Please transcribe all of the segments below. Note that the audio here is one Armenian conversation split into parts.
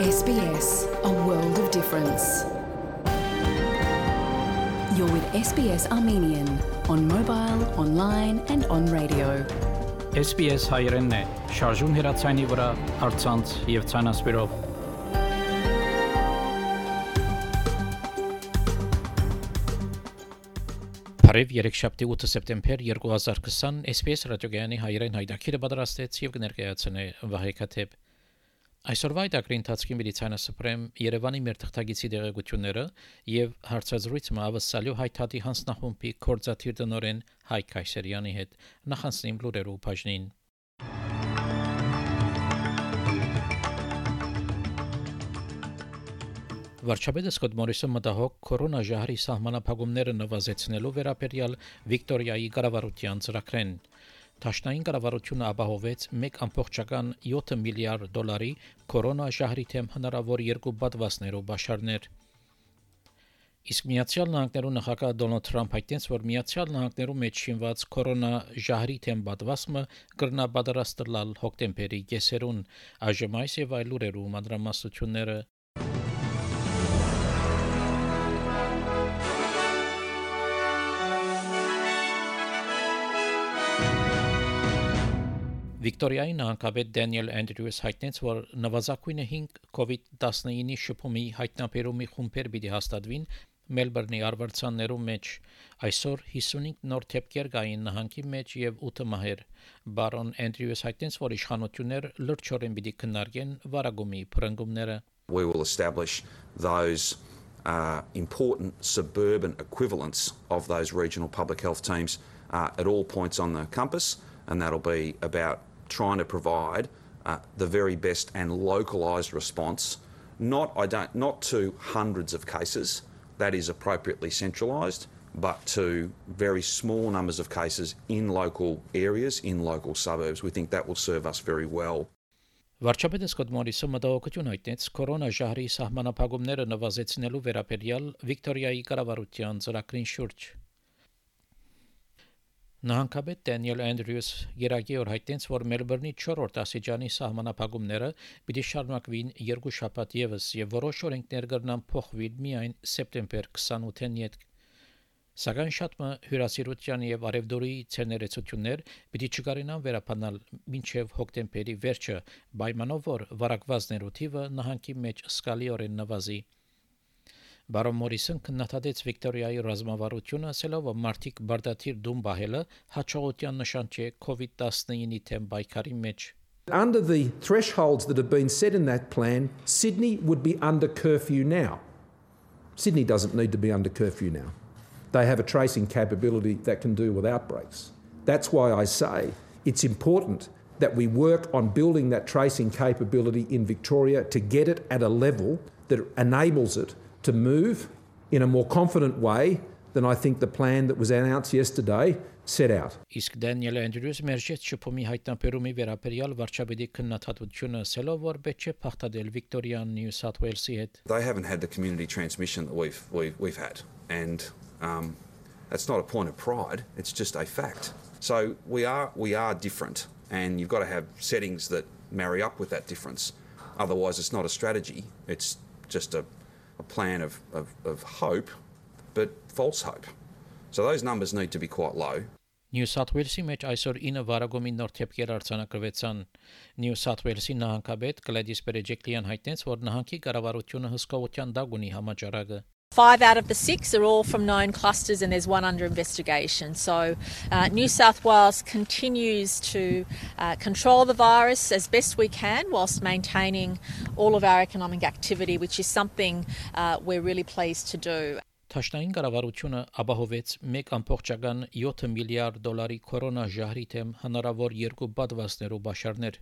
SBS, a world of difference. You're with SBS Armenian on mobile, online and on radio. SBS հայերենն է, շարժուն հեռացայինի վրա, առցանց եւ ցանասպիրով։ Բարև երեքշաբթի 8 սեպտեմբեր 2020 SBS ռադիոգյանի հայերեն հայտակիրը պատրաստեց եւ կներկայացնե Վահե Քաթեփ։ Այսօրվա դակրի ընթացքի մեդիցինասպրեմ Երևանի մեր թղթագիտի դեղեցությունները եւ հարցազրույցը ավսալյո հայտարարի հանձնախումբի կորզաթիր տնօրեն Հայկ Կայսերյանի հետ նախանցնիմ լուրերու բաժնին։ Վարչապետը Սկոտ Մորիսը մտահոգ կորոնաժահրի սահմանափակումները նվազեցնելու վերաբերյալ Վիկտորիայի կառավարության ծրագրեն։ Տաշնային կառավարությունը ապահովեց 1.7 միլիարդ դոլարի կորոնաժահրի թեմ հնարավոր երկու պատվաստներով բաշարներ։ Իսկ Միացյալ Նահանգներու նախագահ Դոնալդ Թրամփ հայտնեց, որ Միացյալ Նահանգներու մեջ շինված կորոնաժահրի թեմ պատվաստը կրնա պատրաստել հոկտեմբերի կեսերուն, այժմ այս եւ այլ լուրերու մանրամասնությունները։ Վիկտորիայի նահանգապետ Դենիել Անդրյուս հայտնեց, որ նվազագույնը 5 COVID-19 շփումի հայտնաբերումի խումբեր պիտի հաստատվին Մելբուրնի արվարձաններու մեջ։ Այսօր 55 նոր դեպքեր կային նահանգի մեջ եւ 8 մահեր։ Բարոն Անդրյուս հայտնեց, որ իշխանություններ լրջորեն պիտի քննարկեն վարագումի փրկումները։ We will establish those important suburban equivalents of those regional public health teams at all points on the compass, and that'll be about trying to provide the very best and localised response, not to hundreds of cases, that is appropriately centralised, but to very small numbers of cases in local areas, in local suburbs. We think that will serve us very well. Վարչապետը Սկոտ Մորիսը մտահոգություն հայտնեց կորոնաժահրի սահմանափակումները նվազեցնելու վերաբերյալ Վիկտորիայի կառավարության ծրագրին շուրջ։ Նահանգապետ Դենիել Անդրյուս երագիոր հայտնեց, որ Մելբուրնի 4-րդ աստիճանի սահմանափակումները պիտի շարունակվին 2 շաբաթ եւս եւ որոշ օրենքներ կրնան փոխվել միայն սեպտեմբեր 28-ին յետ։ Սակայն շատ հյուրասիրության եւ արևդուրի ցերներեցություններ պիտի չկարենան վերապանալ մինչեւ հոկտեմբերի վերջը, պայմանով որ վարակվածներու թիվը նահանգի մեջ սկալիորեն նվազի։ Բարոն Մորիսոն քննադատեց Վիկտորիայի ռազմավարությունը, ասելով, որ մարդիկ բարդաթիր դում բահելը հաջողության նշան չէ COVID-19-ի թեմ պայքարի մեջ։ Under the thresholds that have been set in that plan, Sydney would be under curfew now. Sydney doesn't need to be under curfew now. They have a tracing capability that can do with outbreaks. That's why I say it's important that we work on building that tracing capability in Victoria to get it at a level that enables it to move in a more confident way than I think the plan that was announced yesterday set out. Իսկ Դենիել Անդրյուս մերժեց շփումի հայտնաբերումի վերաբերյալ վարչապետի քննադատությունը, ասելով, որ պետք է փախտել Վիկտորիան Նյու Սաութ Ուելսի հետ։ They haven't had the community transmission that we've had, and that's not a point of pride, it's just a fact. So we are different, and you've got to have settings that marry up with that difference. Otherwise it's not a strategy, it's just a plan of hope, but false hope. So those numbers need to be quite low. Նյու Սաութ Ուելսի մեջ այսօր 9 վարագումի նոր դեպքեր արձանագրվեցան։ Նյու Սաութ Ուելսի նահանգապետ Գլեդիս Բերեջեկլիան հայտնեց, որ նահանգի կառավարությունը հսկողության դակ ունի համաճարակը։ 5 out of the 6 are all from known clusters and there's one under investigation. So New South Wales continues to control the virus as best we can whilst maintaining all of our economic activity, which is something we're really pleased to do. Տաշնային կառավարությունը ապահովեց 1.7 միլիարդ դոլարի կորոնաժահրի թեմ հնարավոր երկու պատվաստներով բաշարներ։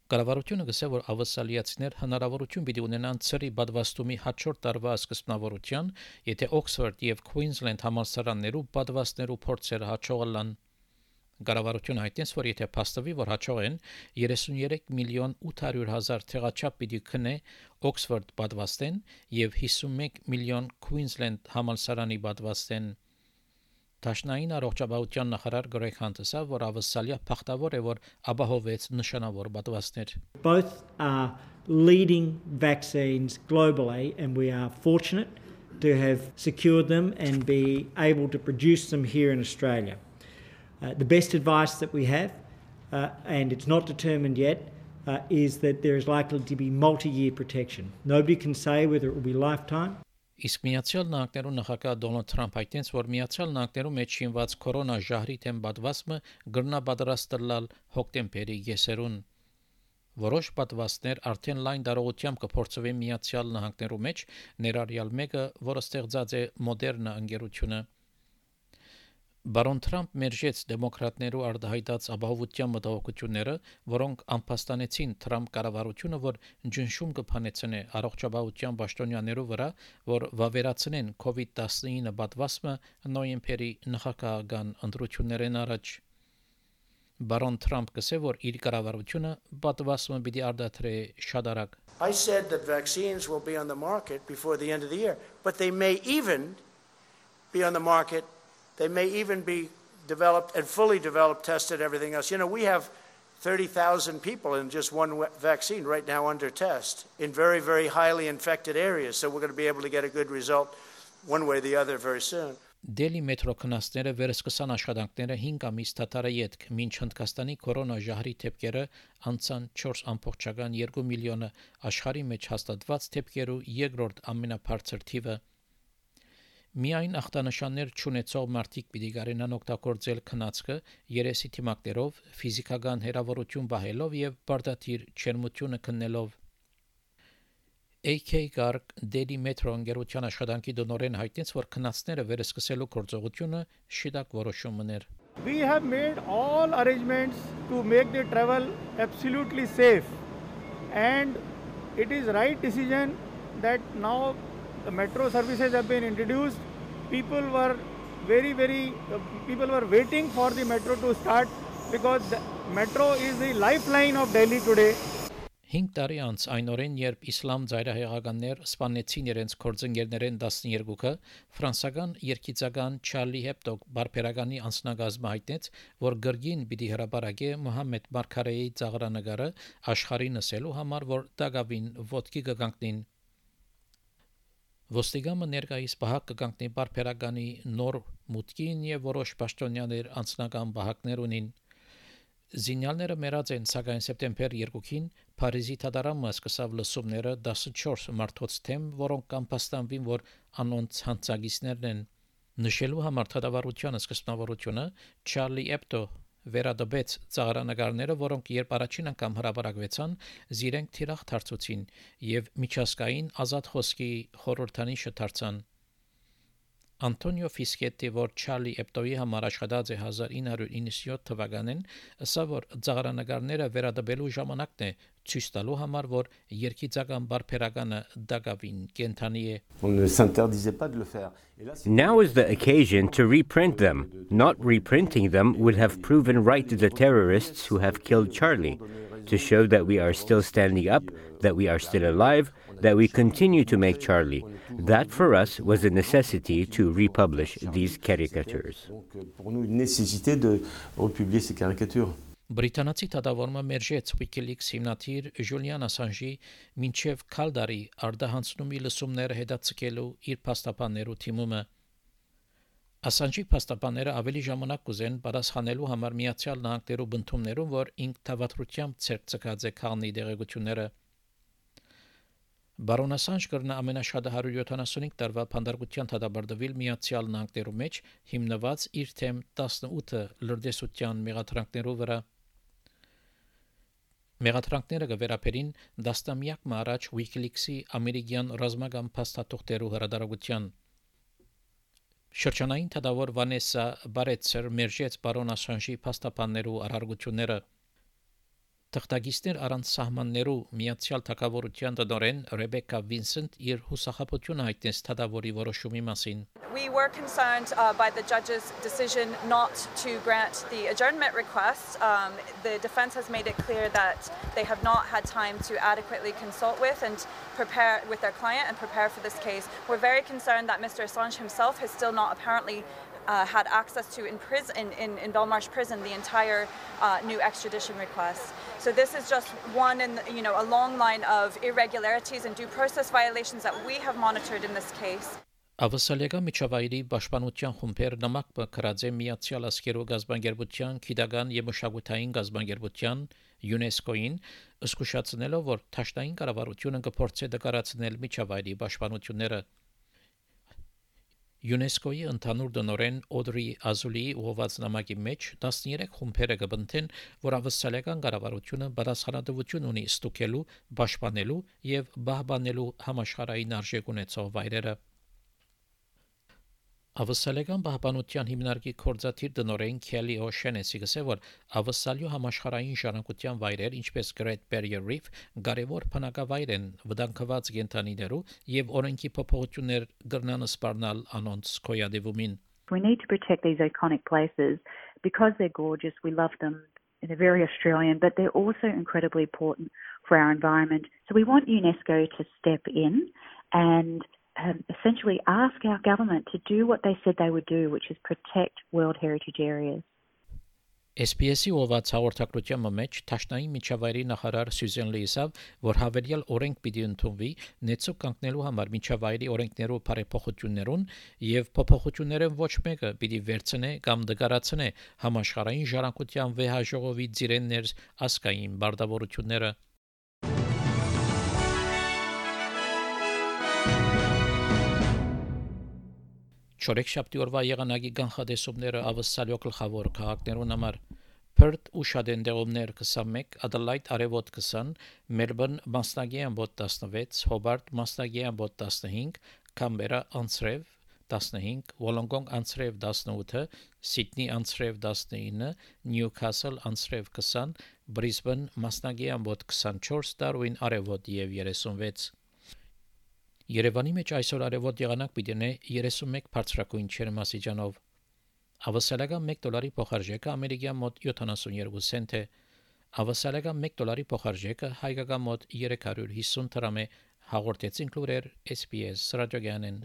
Կառավարությունը գսե, որ ավասալիացիներ հնարավորություն պիտի ունենան ծրի պատվաստումի հաջորդ տարվա սկզբնավորության, եթե Օքսֆորդ եւ Քվինսլենդ համալսարաններու պատվաստներու փորձերը հաջողանան։ Կառավարությունը հայտնեց, որ եթե փաստվի, որ հաջող են 33 միլիոն 800 հազար թղաչափ պիտի քնե Օքսֆորդ պատվաստեն եւ 51 միլիոն Քվինսլենդ համալսարանի պատվաստեն։ Տաշնային առողջապահության նախարար Գրեգ Հանտեսը, որ ավսալիա փախտավոր է, որ ապահովեց նշանավոր պատվաստներ. Both are leading vaccines globally, and we are fortunate to have secured them and be able to produce them here in Australia. The best advice that we have, and it's not determined yet, is that there is likely to be multi-year protection. Nobody can say whether it will be lifetime. Իսկ Միացյալ Նահանգներու նախագահ Դոնալդ Թրամփ հայտնեց, որ Միացյալ Նահանգներու մեջ շինված կորոնա ժահրի թեմ պատվաստը գրնա պատրաստել հոկտեմբերի եսերուն։ Որոշ պատվաստներ արդեն լայն դարողությամբ կփորձվեն Միացյալ Նահանգներու մեջ, ներառյալ մեկը, որը ստեղծած է Մոդերնա ընկերությունը։ Բարոն Թրամփ մերժեց դեմոկրատներու արտահայտած ապահովության մտահոգությունները, որոնք անփաստանեցին Թրամփ կառավարությունը, որ ջնշում կփանեցնե առողջապահության պաշտոնյաներու վրա, որ վավերացնեն COVID-19 պատվաստը նոյեմբերի նախագահական ընտրություններեն առաջ։ Բարոն Թրամփ կսե, որ իր կառավարությունը պատվաստը պիտի արտադրե շատ արագ։ I said that vaccines will be on the market before the end of the year, but they may even be on the market. They may even be developed and fully developed, tested, everything else. You know, we have 30,000 people in just one vaccine right now under test in very, very highly infected areas. So we're going to be able to get a good result one way or the other very soon. Դելի մետրո քննածները վերսկսան աշխատանքները 5 ամիս թաթարը յետք, մինչ Հնդկաստանի կորոնա ժահրի թեփքերը անցան 4.2 միլիոնը, աշխարհի մեջ հաստատված թեփքերու երկրորդ ամենաբարձր թիվը։ Միայն ախտանշաններ չունեցող մարդիկ պիտի կարենան օգտագործել քնածքը երեսի թիմակներով, ֆիզիկական հեռավորություն պահելով եւ բարդաթիր չերմությունը քննելով։ AK Garg Դելի մետրո ընկերության աշխատանքի դոնորեն հայտնեց, որ քնածները վերսկսելու գործողությունը շիդակ որոշումն էր։ We have made all arrangements to make the travel absolutely safe, and it is right decision that now the metro services have been introduced. People were waiting for the metro to start because the metro is the lifeline of Delhi today. 5 տարի անց այն օրեն, երբ իսլամ ծայրահեղականներ սպանեցին իրենց կորձընկերներեն 12-ը, ֆրանսական երկիծական Չարլի Հեբդո բարբերականի անձնագազմը հայտնեց, որ գրգին պիտի հրապարակե Մոհամմեդ Մարգարեի ծաղրանկարը աշխարհի նսելու համար, որ դակավին ոտքի կգանքնին։ Ոստիգամը ներկայիս բահակ կգանքնի բարբերականի նոր մուտքին եւ որոշ պաշտոնյաներ անձնական բահակներ ունին։ Զինյալները մեռած են, սակայն սեպտեմբեր 2-ին Փարիզի թադարանը սկսավ լսումները 14 մարդոց թեմ, որոնք կամփաստանվին, որ անոնց հանցագիցներն են։ Նշելու համար թադավարության սկզբնավորությունը Չարլի Էբդո վերադբեց ծաղրանկարները, որոնք երբ առաջին անգամ հրապարակվեցան, զիրենք թիրախ դարձուցին եւ միջազգային ազատ խոսքի խորհրդանիշը դարձան։ Անտոնիո Ֆիսկետի, որ Չարլի Էբդոյի համար աշխատած է 1997 թվականին, ասա, որ ծաղրանկարները վերադբելու ժամանակն է ցույց տալու համար, որ երկիծական բարբերականը դակավին կենթանի է։ Now is the occasion to reprint them. Not reprinting them would have proven right to the terrorists who have killed Charlie, to show that we are still standing up, that we are still alive, that we continue to make Charlie. That for us was a necessity to republish these caricatures. Բրիտանացի թագավորը մերժեց WikiLeaks հիմնադիր Ժուլիան Ասանժի մինչև քալդարի արդահանցնումի լսումները հետաձգելու իր փաստաբաններու թիմումը։ Ասանժի փաստաբանները ավելի ժամանակ կուզեն պատասխանելու համար Միացյալ Նահանգներու բնդումներուն, որ ինքնավատրությամբ ցերկծած է քանի դեղեցությունները։ Բարոն Ասանժ կրնա ամենաշատը 175 տարվա փանդարգության թադաբարդվել Միացյալ Նահանգներու մեջ, հիմնված իր թեմ 18 լրտեսության մեղադրանքներու վրա։ Մեղադրանքները կվերապերին դաստամյակ առաջ WikiLeaks-ի ամերիկյան ռազմական փաստաթղթերու հրադարագության։ Շրջանային թադավոր Վանեսա Բարեցեր մերժեց բարոն Ասանժի փաստաբաններու արարողությունները։ Թղթագիտներ առանց սահմաններու Միացյալ Թագավորության տնօրեն Ռեբեկա Վինսենտ իր հուսախաբությունը հայտնեց թադավորի որոշումի մասին։ We were concerned by the judge's decision not to grant the adjournment request. The defense has made it clear that they have not had time to adequately consult with and prepare with their client and prepare for this case. We're very concerned that Mr. Assange himself has still not apparently had access to in Belmarsh prison the entire new extradition request. So this is just one in a long line of irregularities and due process violations that we have monitored in this case. Ավսալեգա միջավայրի պաշտպանության խումբեր նամակ կրած է Միացյալ Աշխարհի գազբանգերության, Քիդական եւ մշակութային գազբանգերության ՅՈՒՆԵՍԿՕ-ին, զսկուշացնելով, որ Թաշտային կառավարությունը կփորձի դկարացնել միջավայրի պաշտպանությունները։ ՅՈՒՆԵՍԿՕ-ի ընդհանուր դոնորեն Օդրի Ազուլիի ուղղված նամակի մեջ 13 խումբերը կբնթեն, որ ավսալեգան կառավարությունը բարձրադավություն ունի ստուգելու, պաշտպանելու եւ բահբանելու համաշխարհային արժեք ունեցող վայրերը։ Ավսալեգան պահպանության հիմնարկի կորզաթիր դնորեն Քելի Օշենեսի գսե որ ավսալյո համաշխարհային ժառանգության վայրեր ինչպես Great Barrier Reef կարևոր բնակավայր են վտանգված կենդանիներու եւ օրենքի փոփոխություններ կրնան սպառնալ անոնց կոյադևումին. We need to protect these iconic places because they're gorgeous. We love them. They're very Australian, but they're also incredibly important for our environment. So we want UNESCO to step in and essentially ask our government to do what they said they would do, which is protect World Heritage Areas. SPS-ի ովաց հաղորդակցության մեջ Թաշնային միջավայրի նախարար Սյուզեն Լիիսավ, որ հավելյալ օրենք պիտի ընդունվի նեցու կանգնելու համար միջավայրի օրենքներով բարեփոխություններուն եւ փոփոխությունները ոչ մեկը պիտի վերցնե կամ դգարացնե համաշխարհային ժառանգության վեհաժողովի ծիրեններ ասկային բարդավորությունները. Չորեքշաբթի օրվա եղանակի կանխատեսումները ավսալյո գլխավոր քաղաքներուն համար Perth ու Շադենդեոմներ 21, Adelaide արևոտ 20, Melbourne մասնագի ամբոտ 16, Hobart մասնագի ամբոտ 15, Canberra անցրև 15, Wollongong անցրև 18, Sydney անցրև 19, Newcastle անցրև 20, Brisbane մասնագի ամբոտ 24, Darwin արևոտ եւ 36 Երևանի մեջ այսօր արևոտ եղանակ պիտի ունենա 31 բարձրակույն ջերմաստիճանով։ Ավսալեգան $1 փոխարժեքը ամերիկյան մոտ 72 سنت է։ Ավսալեգան $1 փոխարժեքը հայկական մոտ 350 դրամ է։ Հաղորդեցին լուրեր SPS ռադիոգյանեն։